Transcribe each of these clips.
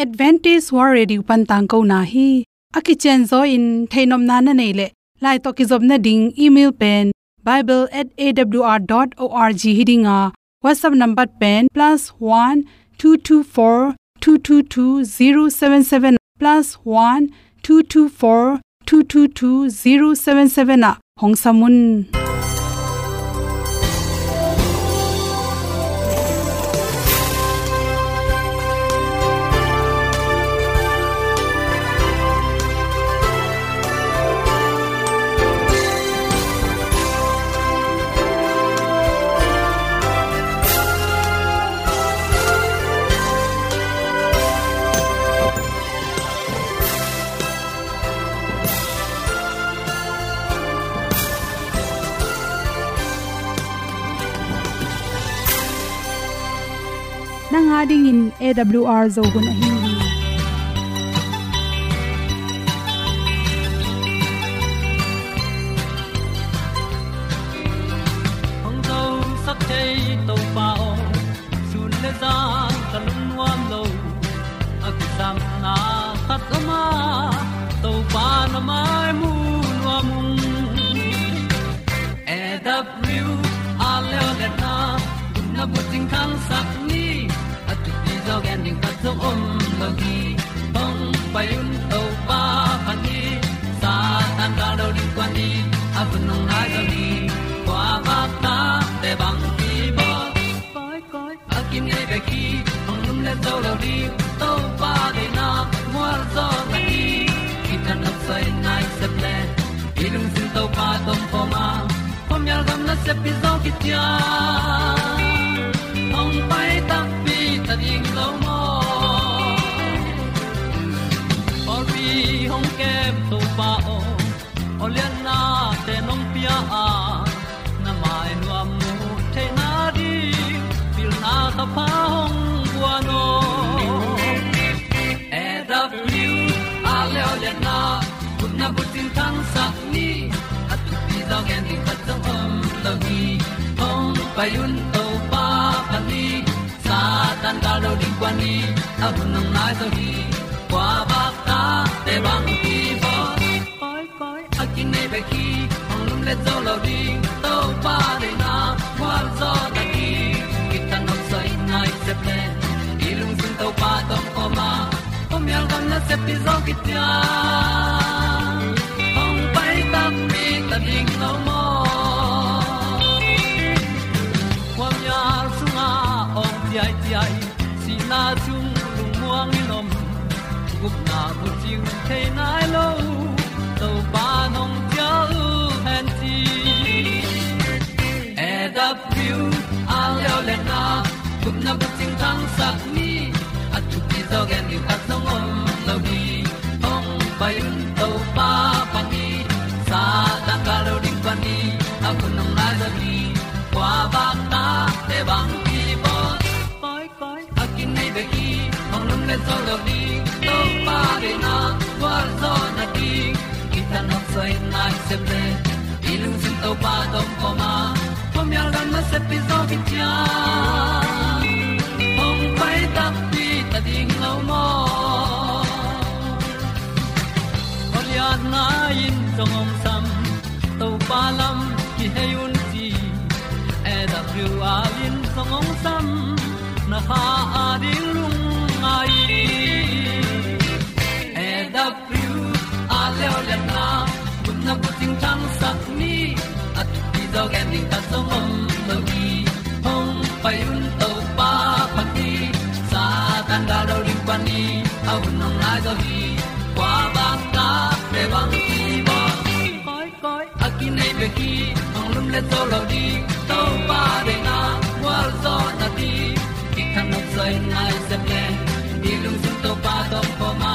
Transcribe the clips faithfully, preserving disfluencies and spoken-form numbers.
Adventist World Radio pan tangkona hi. A kicianzaw in theihnopna na neih leh, lai tawh kizopna ding email pen bible at A W R dot org hi ding a, WhatsApp number pen plus one two two four two two two zero seven seven, plus one two two four two two two zero seven seven ah hong sam un. Nang a dingin A W R Zo hun ahi hi. Hong zosak thei Topa aw, sun le zan ka lungnuam lo. A kisapna khat om a, Topa na mai mu nuam ung. A W R leo le na, gupna bucing thangsak ni. A thupi zaw gen ding khat zong om lo hi. Hong pai un Topa phat ni. Satan gal do ding kuan ni. A hun hong nai zaw ni. Kua vak ta te bang ki bawl. Koi, koi, a kinei bek hi, hong lum le zo lo ding, Topa deihna mual zaw na hi. Kitang nok soi nai sep le, i lungsim Topa tawh om khawm a, khuamial gam nasep hi zaw kician. Hong pai takpi ta ding lo maw? Pawlpi hong kem Topa aw, awliatnate nong pia a, na mai nuam mu theihna ding, pilna thapha hong guan aw. A W R leo le na, gupna bucing thangsak ni. A thupi zaw gen ding khat zong om lo hi. Hong pai un Topa phat ni. Satan gal do ding kuan ni. A hun hong nai zaw hi. Kua vak ta te bang ki bawl. Koi, koi, a kinei bek hi, hong lum le zo lo ding, Topa deihna mual zaw na hi. Kitang nok soi nai sep le, i lungsim Topa tawh om khawm a, khuamial gam nasep hi zaw kician. Hong pai takpi ta ding lo maw? Khuamial sungah awng ciaiciai, sihna sung lungmuang in om, gupna bucing thei nai lo, Topa nong ciah uh hen ci. A W R leo le na, gupna bucing thangsak ni. A thupi zaw gen ding khat zong om lo hi. Hong pai un Topa phat ni. Satan gal do ding kuan ni. A hun hong nai zaw hi. Kua vak ta te bang ki bawl. Koi, koi, a kinei bek hi, hong lum le zo lo ding, Topa deihna mual zaw na hi. Kitang nok soi nai sep le, i lungsim Topa tawh om khawm a, khuamial gam nasep hi zaw kician. Hong pai takpi ta ding lo maw? Awliatna in zong hong sam, Topa lam kihei un ci. A W R in zong hong sam, na kha a ding lungngai. A W R leo le na, gupna bucing thangsak ni. A thupi zaw gen ding khat zong om lo hi. Hong pai un Topa phat ni. Satan gal do ding kuan ni. A hun hong nai zaw hi. Kua vak ta te bang ki bawl. Koi, koi, a kinei bek hi, hong lum le zo lo ding, Topa deihna mual zaw na hi. Kitang nok soi nai sep le, i lungsim Topa tawh om khawm a,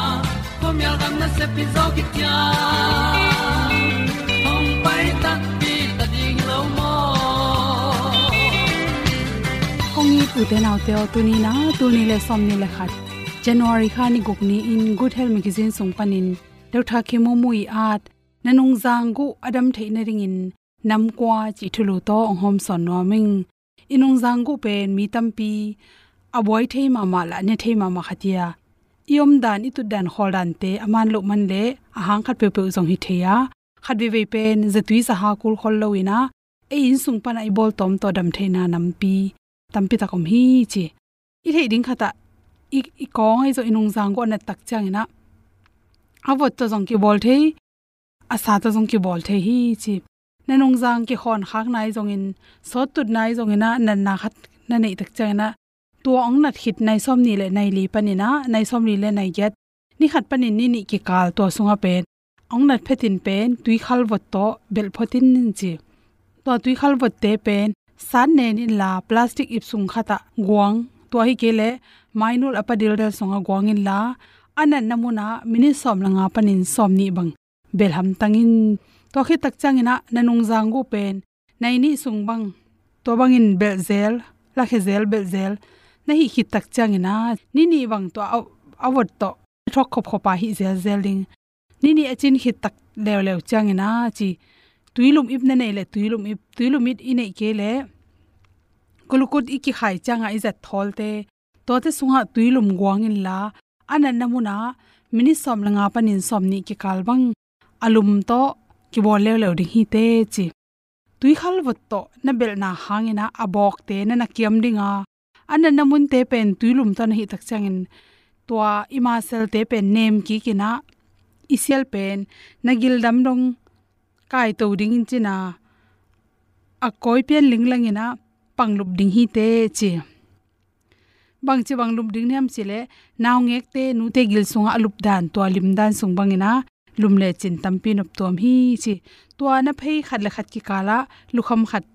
khuamial gam nasep hi zaw kician. Hong pai takpi ta ding lo maw? Kong it u te nau te aw, tuni na, tul nih le sawmnih le khat, January kha ni guk ni-in Good Health Magazine sung panin Doctor Kim Mu Mu ii at, na nungzang guh a dam theih nadingin nam kua cih thulu tawh hong hawmsawn nuam ing. I nungzang guh pen mi tampi a buai thei mahmah le a ne thei mahmah khat hi a, i omdan, i tutdan, khawldante a man loh man leh a hang khat peuhpeuh zong hi thei a, khat veivei pen zatui zaha kul khol lo in ah, ei inn sung panah i bawltawm tawh dam theihna nampi tampi tak om hi ci. I theih ding khatah i, i kawng ahi zong i nungzang guh a nat tak ciangin ah, a vot tawh zong kibawl thei, a sa tawh zong kibawl thei hi ci. Na nungzang kikhawn khakna ahi zongin, sawt tutna ahi zongin ah, natna khat na neih tak ciangin ah, tua hong nat khit nai sawmnih le nai li panin ah, nai sawmli le nai giat, ni khat panin ni nih kikal tua sungah pen hong nat phetin pen tuikhal vot tawh belh phot in ci. Tua tuikhal votte pen sat nen inla, plastic ip sung khatah guang, tua hi kei leh mainul a pa dildel sungah guang inla, a natna munah minit sawm le nga panin sawmnih bang belh hamtang in. Tua khit tak ciangin ah na nungzang guh pen nai nih sung bang, tua bangin belh zel, lakhia zel, belh zel na hih khit tak ciangin ah, ni nih bang tua a, a vot tawh thawk khopkhop a hih zelzel ding. Ni nih a cin khit tak leuleu ciangin ah ci, tuilum ip na neih leh tuilum ip, tuilum ip i neih kei leh kulukut i kikhai ciangah i zat thawlte, tuate sungah tuilum guang inla, a natna munah minit sawm le nga panin sawmnih kikal bang a lum tawh kibawl leuleu ding hi teh ci. Tuikhal vot tawh na belhna hangin ah a bawkte na na kiam ding a, a natna munte pen tuilum tawh na hih tak ciangin, tua i maselte pen nem kik in ah, i sial pen na gildam dong kaito dingin cin ah, a kawi pian linglang in ah pang lup ding hi teh ci. Bangci bang lup ding hiam cih leh, naungekte, nute gil sungah a lupdan, tua limdan sung bangin ah lum lecin tampi noptuam hi ci. Tua na phei khat le khat kikalah lukham khat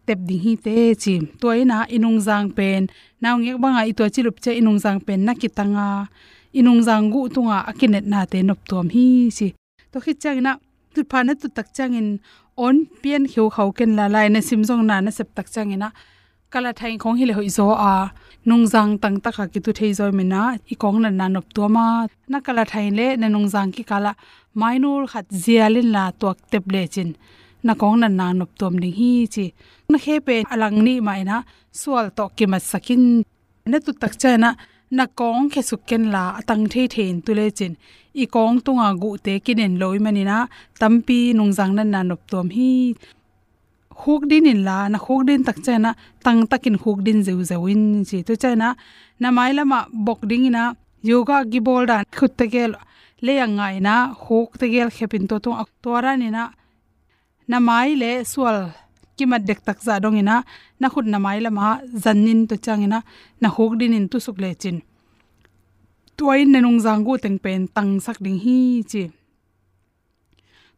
tep ding hi teh ci. Tua in ah i nungzang pen, naungek bangah i tua ci lup ciang i nungzang pen na kitang a, i nungzang guh tungah a kinetnate noptuam hi ci. Tua khit ciangin ah, tutpha na tut tak ciangin awn pian kheukhau ken la, lai na sim zong na na sep tak ciangin ah, kalathain khawng hi leh hoih zaw a, nungzang tangtaka kitu thei zaw i min ah, i kawng natna noptuam a, na kalathain leh na nungzang kikalah mainul khat zial inla tuak tep lecin, na kawng natna noptuam ding hi ci. Na khe pen a lang nih mah in ah sual tawh kimatsak in. Na tut tak ciangin ah, na kawng khesuk kenla a tang theithei in tu lecin, i kawng tunga guhte kinen lo i manin ah tampi nungzang natna noptuam hi. Khukdin inla, na khukdin tak ciangin ah tangtakin khukdin zeuzeu in ci. Tua ciangin ah na mailamah bok dingin ah, yoga kibawl dan khut tegel lei a nga in ah, khuk tegel khep in tua tungah, tua danin ah na mai le sual kimat dektak zah dongin ah, na khut na mailamah zan in, tua ciangin ah na khukdin in tusuk lecin, tua in na nungzang guh teng pen tangsak ding hi ci.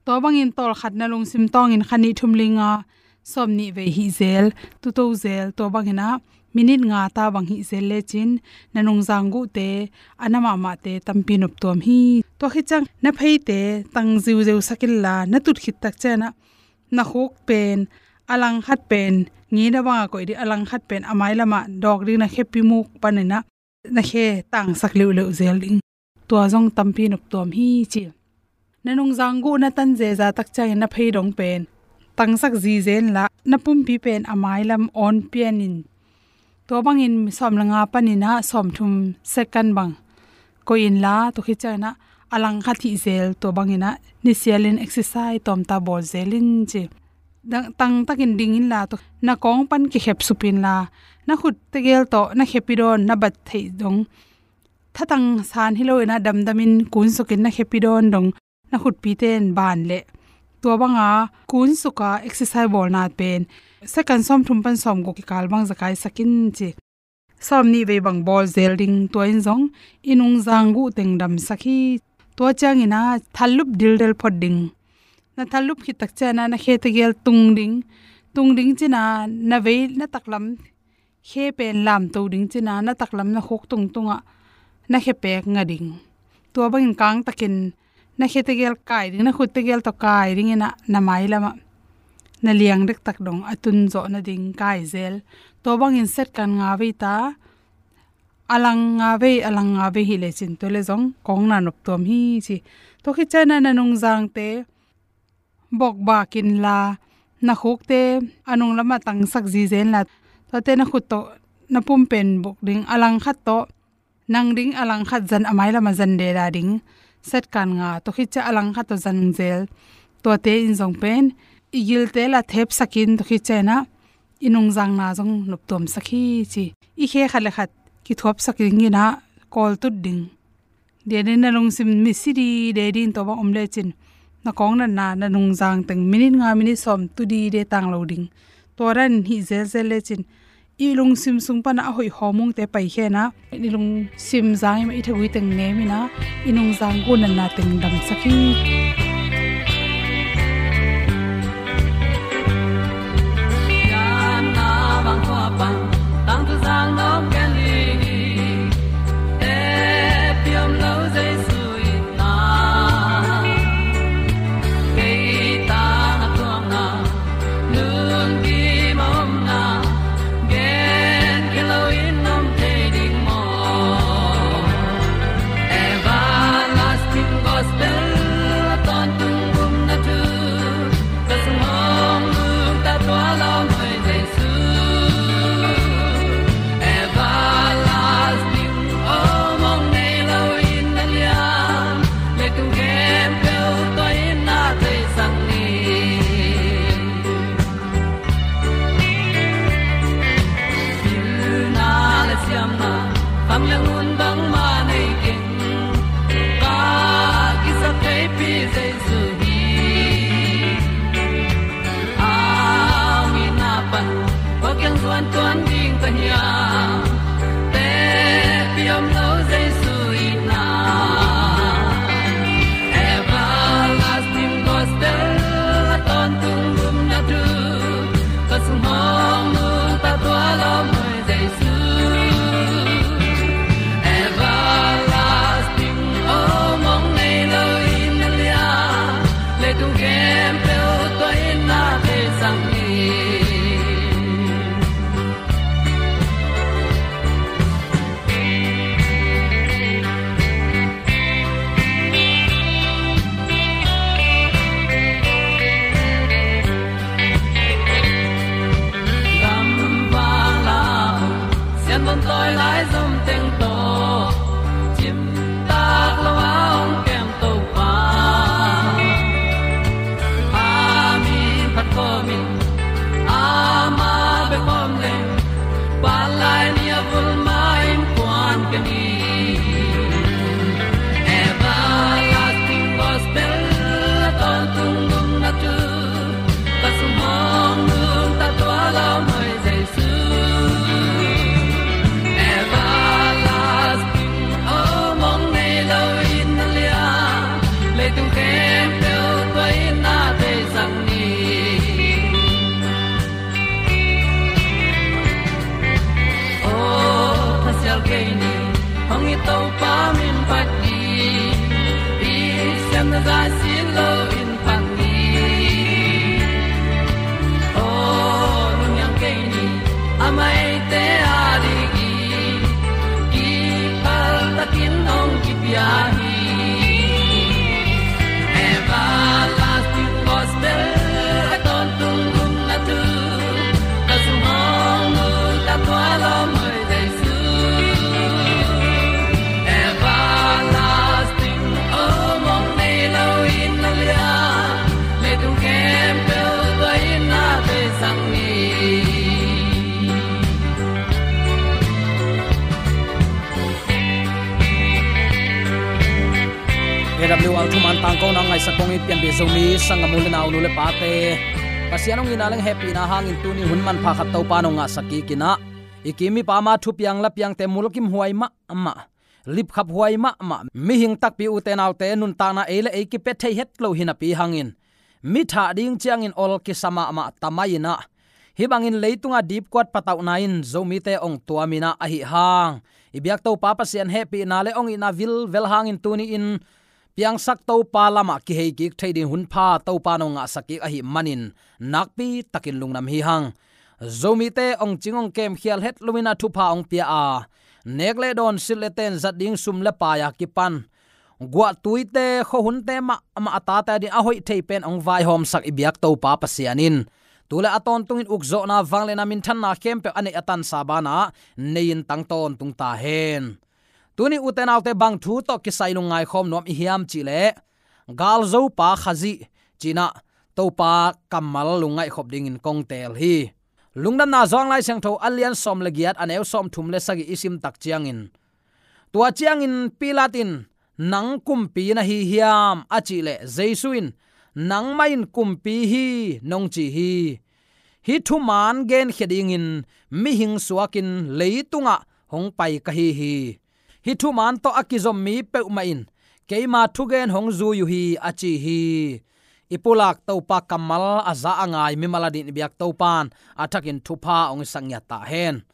Tua bangin tawlkhat na lungsim tawngin kha nih thum li nga sawmnih vei hih zel, tuto zel, tua bangin ah minit nga ta bang hih zel lecin, na nungzang guhte a na mahmahte tampi noptuam hi. Tua khit ciang na pheite tang ziuzeu sak inla, na tut khit tak ciangin ah na khuk pen a lang khat pen ngina banga koih ding, a lang khat pen a mailamah dawk ding, na khepi muk panin ah na khe tangsak leuhleuh zel ding. Tua zong tampi noptuam hi ci. Na nungzang guh na tan zeza tak ciangin na phei dong pen tangsak zizen la, na pumpi pen a mailam awn pian in, tua bangin sawm le nga panin ah sawmthum second bang koih inla, tua khit ciangin ah a lang khat hih zel, tua bangin ah nisialin exercise tawmta bawl zel in ci. Dang, tangtakin ding inla, tua na kawng pan kikhep sup inla, na khut tegel tawh na khepi dawn, na bat theih dong, thatang san hi loin ah damdamin kunsukin na khepi dawn dong, na khutpite in ban leh, tua banga kunsuka exercise bawlna pen second sawmthum pan sawmguk kikal bang zakaisak in ci. Sawmnih vei bang bawl zel ding, tua in zong i nungzang guh teng damsak hi. Tua ciangin ah thallup dildel phot ding. Na thallup khit tak ciangin ah na khe tegel tung ding. Tung ding cin ah na vei na taklam khe pen lamto ding cin ah, na taklam na khuk tungtungah na khe pek nga ding. Tua bangin kangtakin na khe tegel kai ding, na khut tegel tawh kai dingin ah na mailamah na liang dektak dong a tun zawh nading kai zel. Tua bangin second nga vei ta, a lang nga vei, a lang nga vei hih lecin, tua le zong kawng na noptuam hi ci. Tua khit ciangin ah na nungzangte bokbak inla, na khukte a nunglamah tangsak zizen la, tuate na khut tawh na pumpen bok ding, a lang khat tawh Nang ding a langkhat zan a mailam a zan deda ding. Satkan nga, tua khit ciah a langkhat tawh zan zel. Tuate in zong pen i gilte la thepsakin tua khit ciah inah i nungzangna zong noptuamsak hi ci. I khe khat le khat kithuapsak ding inah kawltut ding. Dia ding na lungsim misi dide ding tua bang om lecin na kawng natna na nungzang teng minit nga minit sawm tu dide tang lo ding. Tua dan hih zelzel lecin i lungsim sung pana a hoih hawmungte paikhia inah i lungsim zang i mah i thagui teng nem inah i nungzang gunatna teng damsak hi. A W R thuman tangkona ngaisak kong i pianpih Zomi sanggam u le nau, nu le pate, Pasian hong itna leng hehpihna hangin tuni hun manpha khat Topa nong ngahsak kik inah, i kim i pam a thupiang lapiangte mulkimhuai mahmah, lipkhaphuai mahmah, mihing takpi ute naute nuntakna ei le ei kipia thei het lo hinapi hangin, mi thah ding ciangin ol kisa mahmah tamai inah, hih bangin leitungah dipkuat patauhna in Zomite hong tuam inah, ahi hang i biak Topa Pasian hehpihna le hong itna vilvel hangin tuni-in piangsak Topa lamah kihei kik thei ding hun pha Topa nong ngahsak kik ahih manin nakpi takin lungdam hi hang. Zomite hong cing hong kemkhial het lo inah thupha hong pia a, nek le dawn, silh le ten, zat ding sum le pai a kipan guahtuite, khuahunte mahmah a tate ading a hoih thei pen hong vaihawmsak i biak Topa Pasian in tu le a tawntungin ukzawhna, vangliatna, minthanna khempeuh a neih a tansa banah nei-in tang tawntung ta hen. Tuni ute naute, bang thu tawh kisai lungngai khawm nuam i hiam cih leh, galzopa Khazih ci-in ah Topa kammal lungngaih khop dingin kong teel hi. Lungdamna Johan Lai Siangtho a lian sawm le giat, a neu sawmthum le sagih i sim tak ciangin, tua ciangin Pilat in, "Nang kumpi na hi hiam?" a cih leh, Jesu in, "Nangmah in kumpi hi, nong ci hi. Hih thuman genkhia dingin mihing suakin leitungah hong pai ka hi hi. Hih thuman tawh a kizom mi peuhmah in keima thugen hong zui uh hi," a ci hi. I pulak Topa kammal a za a ngai mimal adingin i biak Topa'n a thakin thupha hong sak ngiat ta hen.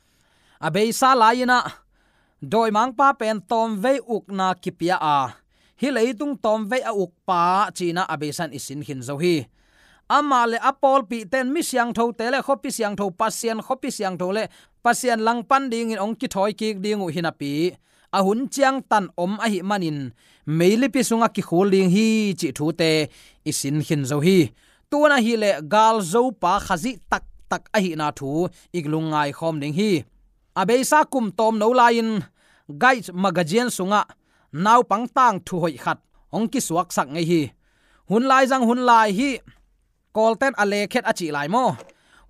A beisa lai-in ah, dawimangpa pen tawmvei ukna kipia a, hih leitung tawmvei a ukpa ci-in ah a beisa in i sin khin zo hi. Amah le a pawlpihte in mi siangthote le khuapi siangtho, Pasian khuapi siangtho le Pasian langpan dingin hong kithawi kik ding uh hinapi, a hun ciangtan om ahih manin meilipi sungah kikhul ding hi cih thute i sin khin zo hi. Tu-in ahih leh galzopa Khazih taktak ahihna thu i lungngai khawm ding hi. A beisa kum tawmno lai-in Guide magazine sungah naupang tangthu hoih khat hong kisuaksak ngei hi. Hun lai zang hun lai hi. Kawlten a lekhet a cih lai maw?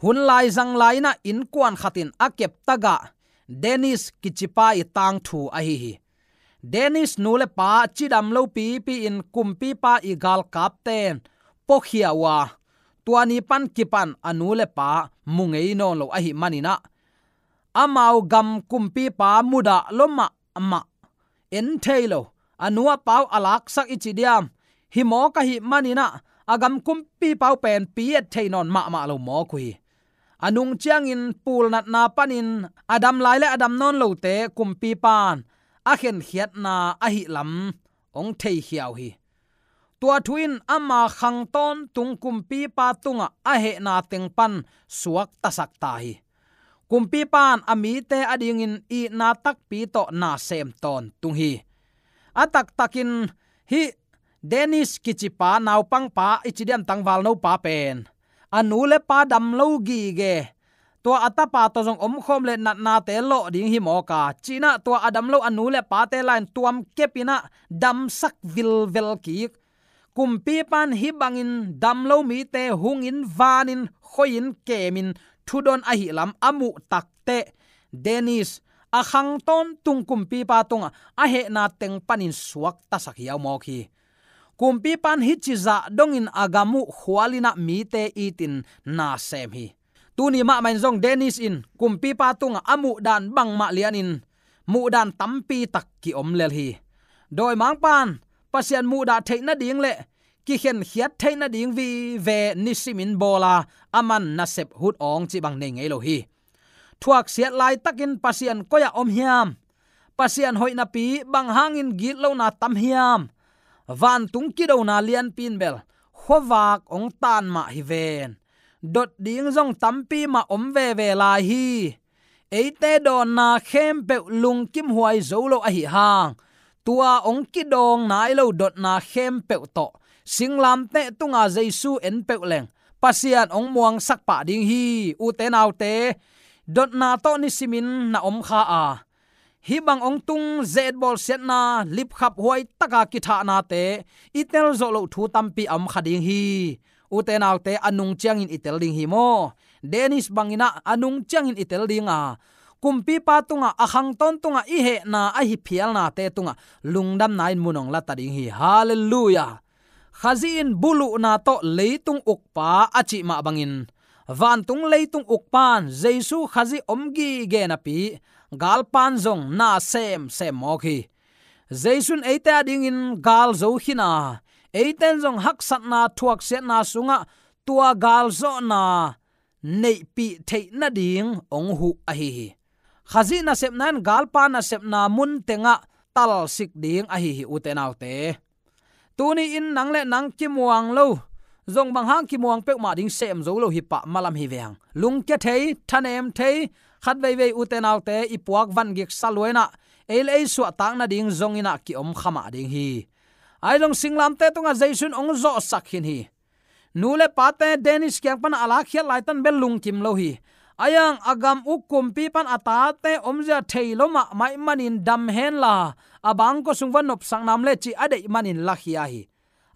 Hun lai zang lai-in ah innkuan khat in a kep tagah Dennis kicipa i tangthu ahi hi. Dennis nu le pa cidam lo pipi-in kumpipa i galkapten puakhia uh a, tua ni pan kipan a nu le pa mu ngei nawn lo ahih manin ah, amau gam kumpipa mudah lo mahmah, en thei lo, a nu a pa uh a laksak i ci diam, hi mawk ahih manin ah, a gam kumpipa uh pen pi et thei nawn mahmah lo mawk uh hi. A nung ciangin pulnatna panin a dam lai le a dam nawn lote kumpipa'n a khenkhiatna ahih lam hong theikhia uh hi. Tua thu in ama khang tawntung kumpipa tungah a hehna teng pan suaktasak ta hi. Kumpipa'n a mite adingin itna takpi tawh na sem tawntung hi. A taktakin hih Dennis kicipa, naupangpa i ci diam, tangvalnopa pen a nu le pa dam lo gige, tua a tapa tawh zong omkhawm le natnate lawh ding hi mawk a, ci-in ah tua a dam lo a nu le pate lai-in tuam kepin ah damsak vilvel kik. Kumpipa'n hih bangin dam lo mite hungin, vanin, khoihin, kemin thudon ahih lam a muh takteh, Dennis a khang tawntung kumpipa tungah a hehna teng panin suaktasak hiau mawk hi. Kumpipa'n hih cizah dongin a gam uh khualin ah mite itin na sem hi. Tuni mahmah in zong Dennis in kumpipa tungah a muhdan bangmah lianin muhdan tampi tak kiom lel hi. Dawimangpa'n Pasian muhdah theih nading le kikhenkhiat theih nading vive nisimin bawl a, aman nasep hut awng cih bang nei ngei lo hi. Thuaksiat laitakin Pasian koi-ah om hiam? Pasian hoih napi bang hangin gitlohna tam hiam? Vantung kidona lianpi in bel khuavak hong tan mah hi ven. Dot ding zong tampi mah om veve lai hi. Eite dawnna khempeuh lungkimhuai zo lo ahih hang, tua hong kidawng nai lo dotna khempeuh tawh singlamteh tunga Jesu en peuh leng Pasian hong muangsak pah ding hi. Ute naute, dotna tawh nisimin na om kha a, hih bang hong tung ze-etbawl siatna, lipkhaphuai taka kithahnate i tel zawh loh thu tampi a om kha ding hi. Ute naute, a nung ciangin i tel ding hi maw? Dennis bangin ah a nung ciangin i tel ding a, kumpipa tungah, a khang tawntungah i hehna ahi phialnate tungah lungdamna in mun hong la ta ding hi. Halleluiah. Khazih in buluhna tawh leitung ukpa a cih mah bangin, vantung leitung ukpa'n Jesu Khazih om gige napi, galpa'n zong na semsem mawk hi. Jesu in eite adingin gal zo khin a, eite'n zong haksatna thuaksiatna sungah tua galzawhna neihpih theih nading hong huh ahi hi. Khazih nasepna in galpa nasepna mun tengah talsik ding ahi hi, ute naute. Tuni-in nang le nang kimuang lo, zong bang hang kimuang peuhmah ding sem zo lo hi pah malam hi veng. Lungkia thei, thanem thei, khat veivei ute naute i puak vangik sa lua-in ah, ei le ei suahtak nading zongin ah kiom kha mah ding hi. Ahi zong singlamteh tungah Jesu in hong zawhsak khin hi. Nu le pate Dennis kiang pan a lakkhiat laitan bel lungkim lo hi. A iang a gam uk kumpi pan a tate omzia thei lo mahmah ih manin dam henla, a bangkua sung va nopsak nam le cih a deih manin lakhia hi.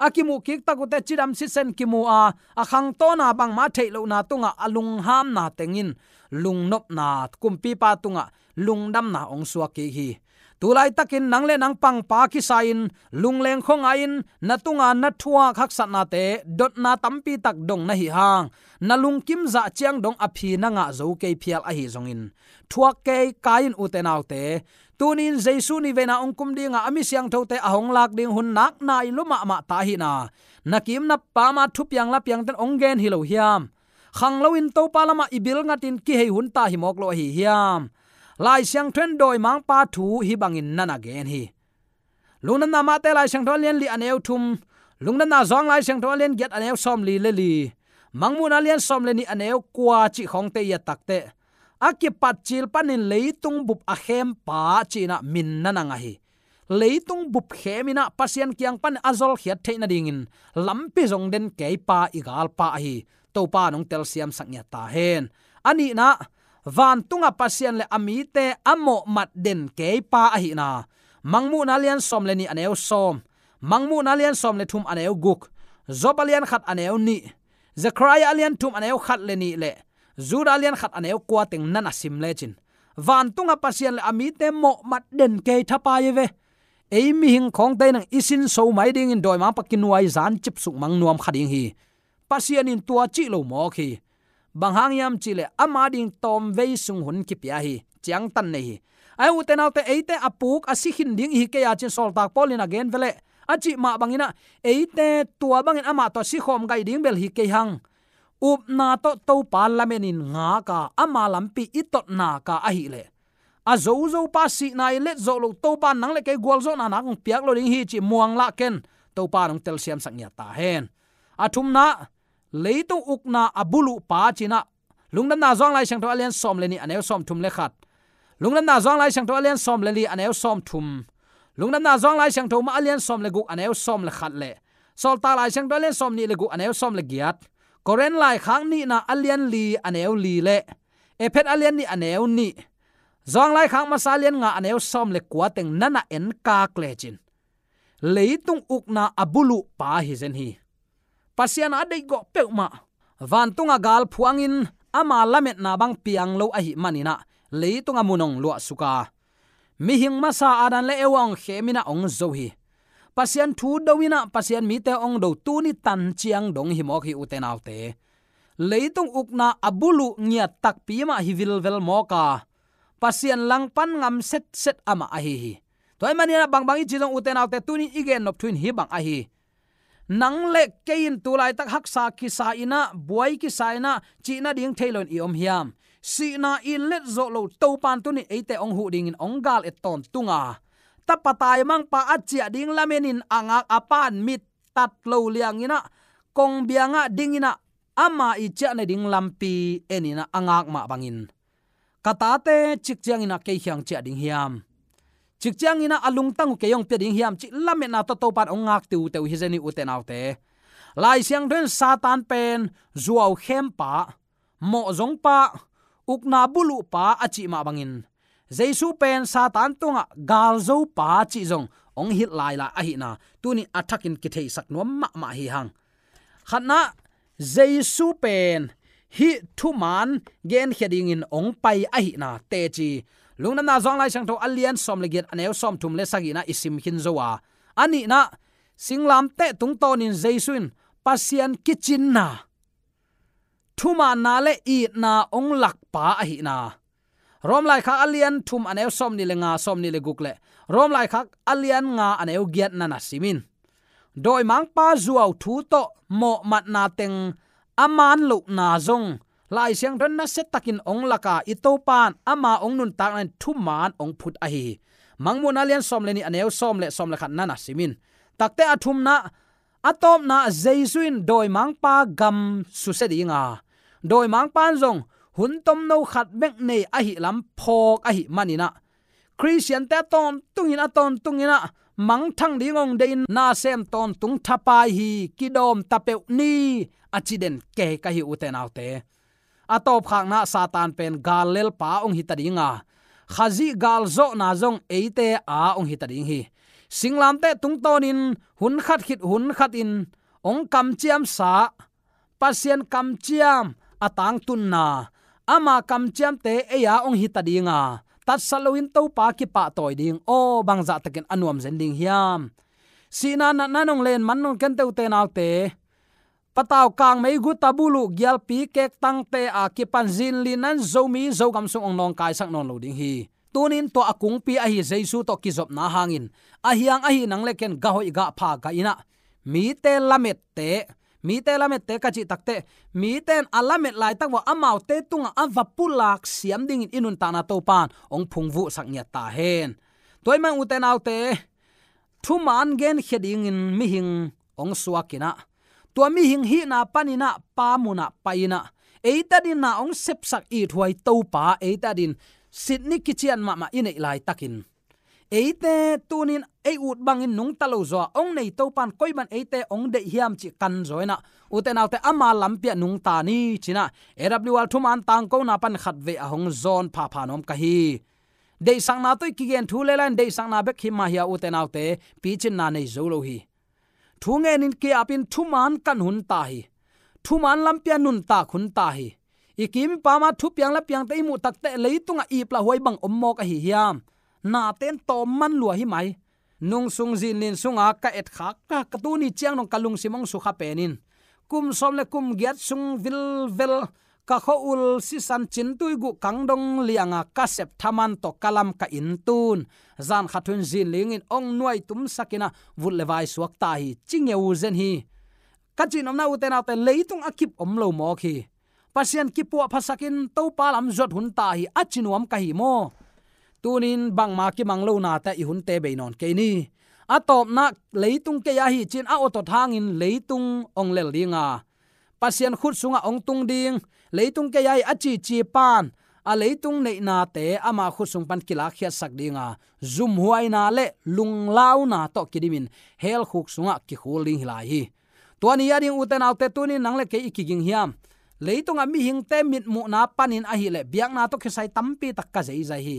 A kimuh kik tak uh teh cidam sisen kimu a, a khangtawna bangmah theih lohna tungah a lunghamna tengin lungnopna, kumpipa tungah lungdamna hong suak kik hi. Tulaitakin nang le nang pangpa kisa-in lungleng khuangai-in na tunga na thuak haksatnate dotna tampi tak dong na hih hang, na lungkim zah ciang dong a phi na ngah zo kei phial ahi zongin, thuak kei kai in, ute naute. Tuni-in Jesu nihveina hong kum dinga a mi siangthote a hong lak ding hun nak nai lua mahmah ta ahihna, na kim na pam a thupiang lapiangte'n hong gen hi lo hiam? Khang loin Topa lamah i bil ngatin kihei hun ta hi mawk lo ahi hiam? Lai Siangtho in dawimangpa thu hih bangin na na gen hi. Lungdamna Mate Lai Siangtho a lian li a neu thum, Lungdamna Johan Lai Siangtho a lian giat a neu sawmli le li, Mangmuhna a lian sawm le nih a neu kua cih khawngte i et tak teh, a kipatcil panin leitung bup a khempa ci-in ah min na na ngah hi. Leitung bup khemin ah Pasian kiang panin a zolkhiat theih nadingin lampi zong den keipa i galpa ahi Topa in hong telsiamsak ngiat ta hen. A nihna, vantunga Pasian le a mite a mawhmat den keipa ahihna, Mangmuhna a lian sawm le nih a neu sawm, Mangmuhna a lian sawm le thum a neu guk, Job a lian khat a neu nih, Zekhariah a lian thum a neu khat le nih le Judah a lian khat a neu kua teng na na sim lecin, vantunga Pasian le a mite mawhmat den kei thapai hi ve. Ei mihing khawngte in ah i sinso mai dingin dawimangpa kinuai zan cipsuk mang nuam kha ding hi. Pasian in tua cih lo mawk hi. Bang hang hiam cihleh ama ding tawmvei sung hun kipia hi. Ciangtan nei hi. Ai ute naute, eite a puk a si khin ding i hi kei a cin Sawltak Paul in a gen veleh, a cih mah bangin ah eite tua bangin amah tawh sikhawm gaih ding bel hi kei hang. Upna tawh Topa lamenin ngak a, ama lampi i tot nak a ahihleh, a zozo pa, sihna i let zawh loh Topa in nang le kei gualzawhna nak hong piak lo ding hi cih muang lah ken. Topa in hong telsiamsak ngiat ta hen. A thumna, leitung ukna a buluh pa ci-in ah Lungdamna Johan Lai Siangtho a lian sawm le nih a neu sawm thum le khat, Lungdamna Johan Lai Siangtho a lian sawm le li a neu sawm thum, Lungdamna Johan Lai Siangtho mah a lian sawm le guk a neu sawm le khat le Sawltak Lai Siangtho a lian sawm nih le guk a neu sawm le giat, Korin Laikhak nihna a lian li a neu li le Efet a lian nih a neu nih, Johan Laikhak masa a lian nga a neu sawm le kua teng na na enkak lecin, leitung ukna a buluh pa hi zen hi. Pasian a deihgawh peuhmah, vantunga gal phuangin ama lametna bang piang lo ahih manin ah leitunga mun hong luahsuk a, mihing masa Adam le Eva hong khemin ah hong zo hi. Pasian thu do-in ah Pasian mite hong do tuni tan ciang dong hi mawk hi ute naute. Leitung ukna a buluh ngiat takpi mah hi vilvel mawk a, Pasian langpan ngam setset amah ahi hi. Tua ahih manin ah bangbang i cih zong ute naute, tuni i gennop thu in hih bang ahi. Nang le kei in tu laitak haksa kisa in ah, buai kisa in ah, cih nading thei loin i om hiam? Sihna i let zawh loh Topa in tuni eite hong huh dingin hong gal et tawntung a, tapa taimangpa a ciah ding lamenin a ngak a, pa in mit tat lo liangin ah, kongbiang ah dingin ah, ama i ciah nading lampi enin ah a ngak mah bangin, ka tate cik ciangin ah kei kiang ciah ding hiam? Cik ciangin ah a lungtang uh kei hong pia ding hiam, cih lametna tawh Topa in hong ngak tiuteu hi zen hi ute naute. Lai Siangtho in Satan pen zuau khempa, mawhzongpa, ukna buluhpa a cih mah bangin, Jesu pen Satan tungah galzopa cih zong hong hilh lailai ahihna tuni a thakin kitheisak nuam mahmah hi hang. Khatna, Jesu pen hih thuman genkhia dingin hong pai ahihna teci, Lungdamna Johan Lai Siangtho a lian sawm le giat a neu sawm thum le sagihna i sim khin zo a. A nihna, singlamteh tungtawnin Jesu in Pasian kicinna, thumanna le itna hong lakpa ahihna, Rom Laikhak a lian thum a neu sawm nih le nga, sawm nih le guk le Rom Laikhak a lian nga a neu giat na na sim in. Dawimangpa zuau thu tawh mawhmatna teng a man lohna zong Lai Siangtho in nasia takin hong lak a, i Topa in ama hong nuntakna in thuman hong phut ahi hi. Mangmuhna a lian sawm le nih a neu sawm le sawm le khat na na sim in. Takte a thumna, a tawpna, Jesu in dawimangpa gam susia ding a, dawimangpa in zong hun tomno khat bek nei ahih lam phawk ahih manin ah, Khristiante a tawntungin, a tawntungin ah mangthang ding hong deihin nasem tawntung thapai hi, kidawm ta peuh ni, a ci den kei ka hi ute naute. a tawpkhakna Satan pen gal lelpa hong hita ding a, Khazih gal zawhna zong eite a hong hita ding hi. Singlamteh tungtawnin hun khat khit hun khatin hong kamciamsa, Pasian kamciam a tangtunna, ama kamciamte ei a hong hita ding a, tatsat loin Topa kipahtawi ding. Aw, bangzah takin a nuam zen ding hiam? Sihna natna nong len man nong kente ute naute, patau kangmei guta buluh gialpi kektangte a kipan zinlinna in Zomi Zogam sung hong nawngkaisak nawn lo ding hi. Tunin tua a kungpi ahi Jesu tawh kizopna hangin, a hiang ahi nang le ken gah hoih gah pha gah inah, mite lamette, mite lamette ka cih takteh, mite in a lamet laitak vua amaute tungah a va pulak siam dingin i nuntakna Topan hong phungvuhsak ngiat ta hen. Tua ahih manin ute naute, thuman genkhia dingin mihing hong suak inah, tua mihing hihna paninah pa munah pai inah, eite adin na hong sepsak ithuai Topa, eite adin sitni kician mahmah i neih laitakin, eite tunin ei ut bangin nungta lo zaw a hong nei Topan koi ban eite hong deih hiam cih kan zaw inah, ute naute, ama lampi ah nungta ni cinah A W R thuman tangkona pan khatvei a hong zawn phapha nuam ka hi. Deihsakna tawh i kigen thu le lai in deihsakna bek hi mah hi a, ute naute, picinna nei zo lo hi. Thu ngenin ki-apin thuman kan hun ta hi. Thuman lampi ah nuntak hun ta hi. I kim i pam a thupiang lapiangte i muh takteh leitungah iplah huai bang om mawk ahi hiam? Nate'n tawm man lua hi mai. Nungsung zinlin sunga ka etkhak, ka, ka tuni ciang dong ka lungsim hong sukha penin, kum sawm le kum giat sung vilvel ka khua-ul sisan cintui guh kang dong lianga ka sep thaman tawh ka lam ka inn tun, zan khat hun zinlingin hong nuai tumsak inah vut le vai suak ta hi, ci ngeu zen hi. Ka cihnopna ute naute, leitung a kip om lo mawk hi. Pasian kipuahphasakin Topa lam zuat hun ta hi, a ci nuam ka hi maw? Tunin bangma kimang lonate i hunte bei nawn kei ni. A tawpna leitung kei ahi cin a awtawt hangin leitung hong lel ding a, Pasian khut sungah hong tung ding, leitung kei ahi a cici pan a leitung neihnate ama khut sung pan kilakkhiatsak ding a, zumhuaina le lunglauna tawh kidimin hell khuk sungah kikhul ding hi lai hi. Tua ni a ding ute naute, tunin nang le kei i kiging hiam? Leitungah mihingte mitmuhna panin ahih leh biakna tawh kisai tampi tak ka zeizai hi.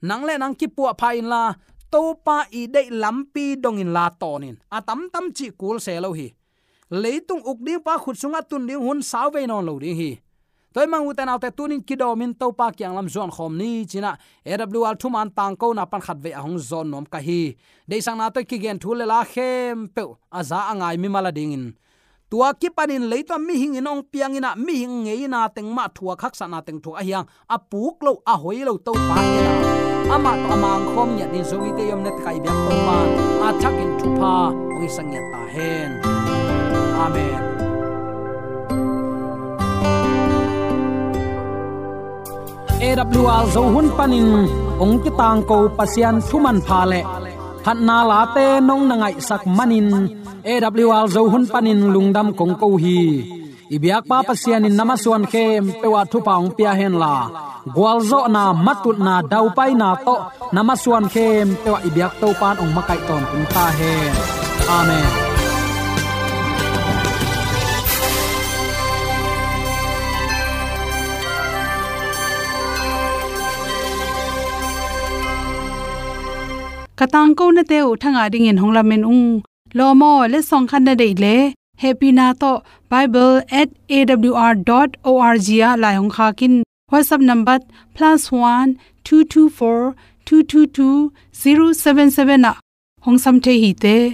Nang le nang kipuahpha inla, Topa i deih lampi dong inla tawn in, a tamtam cih kul se lo hi. Leitung uk ding pa khut sungah tun ding hun sau vei nawn lo ding hi. Tua ahih manin ute naute, tunin kidawmin Topa kiang lam zuan khawm ni cinah A W R thuman tangkona pan khatvei a hong zawn nuam ka hi. Deihsakna tawh i kigen thu le la khempeuh a za a ngai mimal a dingin, tua kipanin leitung ah mihing in hong piang inah mihing ngeina teng mah thuak, haksatna teng thuak ahi hang, a puk lo, a hoi lo Topa en a, amah tawh a mangkhawm ngiat dingin Zomite i omna tekah i biak Topa a thakin thupha hong hisak ngiat ta hen. Amen. A W R Zo hun panin hong kitangko Pasian thumanpha le phatna late nong na ngaihsak manin A W R Zo hun panin lungdam kong ko hi. I biakpa Pasian in na masuan khempeuh ah thupha hong pia henla, gualzawhna, matutna, daupaina tawh na masuan khempeuh ah i biak Topa in hong makaih tawntung ta hen. Amen. Ka tangkonate uh thangah dingin hong lamen ung. Lawm aw, letsong khat na deih leh hehpihna tawh bible at A W R dot org ah lai hong khak in. WhatsApp number plus one two two four two two two zero seven seven ah hong sam thei hi te.